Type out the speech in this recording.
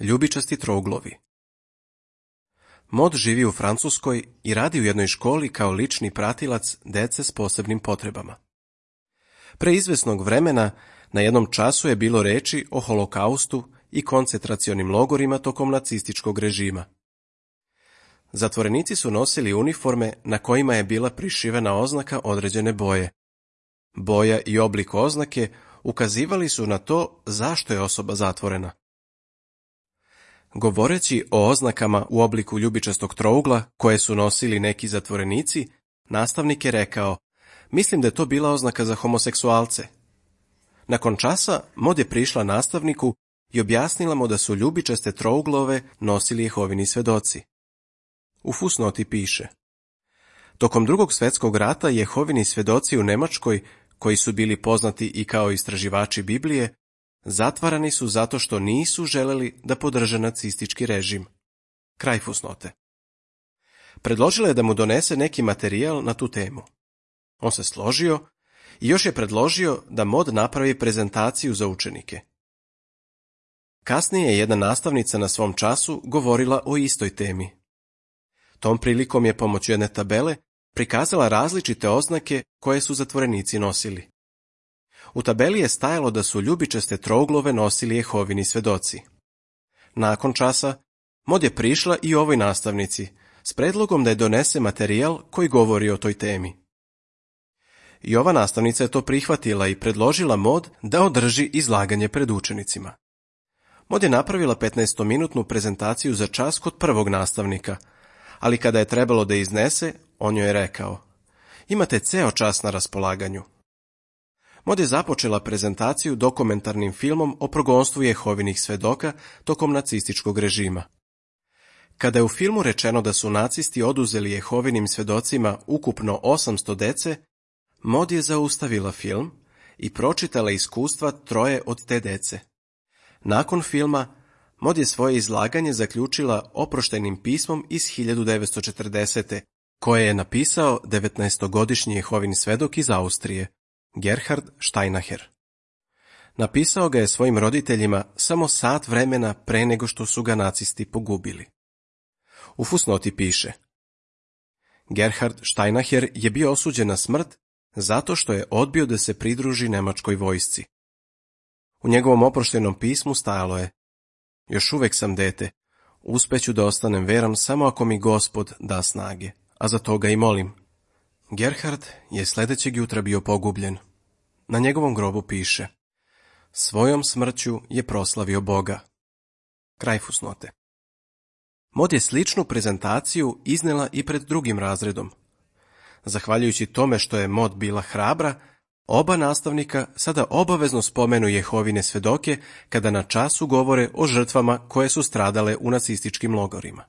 Ljubičasti trouglovi. Mod živi u Francuskoj i radi u jednoj školi kao lični pratilac dece s posebnim potrebama. Pre izvesnog vremena na jednom času je bilo reči o holokaustu i koncentracionim logorima tokom nacističkog režima. Zatvorenici su nosili uniforme na kojima je bila prišivena oznaka određene boje. Boja i oblik oznake ukazivali su na to zašto je osoba zatvorena. Govoreći o oznakama u obliku ljubičastog trougla koje su nosili neki zatvorenici, nastavnik je rekao: "Mislim da je to bila oznaka za homoseksualce." Nakon časa Mod je prišla nastavniku i objasnila mu da su ljubičaste trouglove nosili Jehovini svedoci. U fusnoti piše: tokom Drugog svjetskog rata Jehovini svedoci u Nemačkoj, koji su bili poznati i kao istraživači Biblije, zatvarani su zato što nisu želeli da podrže nacistički režim. Kraj fusnote. Predložila je da mu donese neki materijal na tu temu. On se složio i još je predložio da Mod napravi prezentaciju za učenike. Kasnije je jedna nastavnica na svom času govorila o istoj temi. Tom prilikom je pomoću jedne tabele prikazala različite oznake koje su zatvorenici nosili. U tabeli je stajalo da su ljubičaste trouglove nosili Jehovini svedoci. Nakon časa, Mod je prišla i ovoj nastavnici s predlogom da je donese materijal koji govori o toj temi. I ova nastavnica je to prihvatila i predložila Mod da održi izlaganje pred učenicima. Mod je napravila 15-minutnu prezentaciju za čas kod prvog nastavnika, ali kada je trebalo da iznese, on joj je rekao: "Imate ceo čas na raspolaganju." Mod je započela prezentaciju dokumentarnim filmom o progonstvu Jehovinih svedoka tokom nacističkog režima. Kada je u filmu rečeno da su nacisti oduzeli Jehovinim svedocima ukupno 800 dece, Mod je zaustavila film i pročitala iskustva 3 od te dece. Nakon filma, Mod je svoje izlaganje zaključila oproštajnim pismom iz 1940. koje je napisao 19-godišnji Jehovin svedok iz Austrije, Gerhard Steinacher. Napisao ga je svojim roditeljima samo sat vremena pre nego što su ga nacisti pogubili. U fusnoti piše: Gerhard Steinacher je bio osuđen na smrt zato što je odbio da se pridruži nemačkoj vojsci. U njegovom oproštajnom pismu stajalo je: "Još uvek sam dete, uspeću da ostanem veran samo ako mi Gospod da snage, a za to ga i molim." Gerhard je sledećeg jutra bio pogubljen. Na njegovom grobu piše: "Svojom smrću je proslavio Boga." Kraj fusnote. Mod je sličnu prezentaciju iznela i pred drugim razredom. Zahvaljujući tome što je Mod bila hrabra, oba nastavnika sada obavezno spomenu Jehovine svedoke kada na času govore o žrtvama koje su stradale u nacističkim logorima.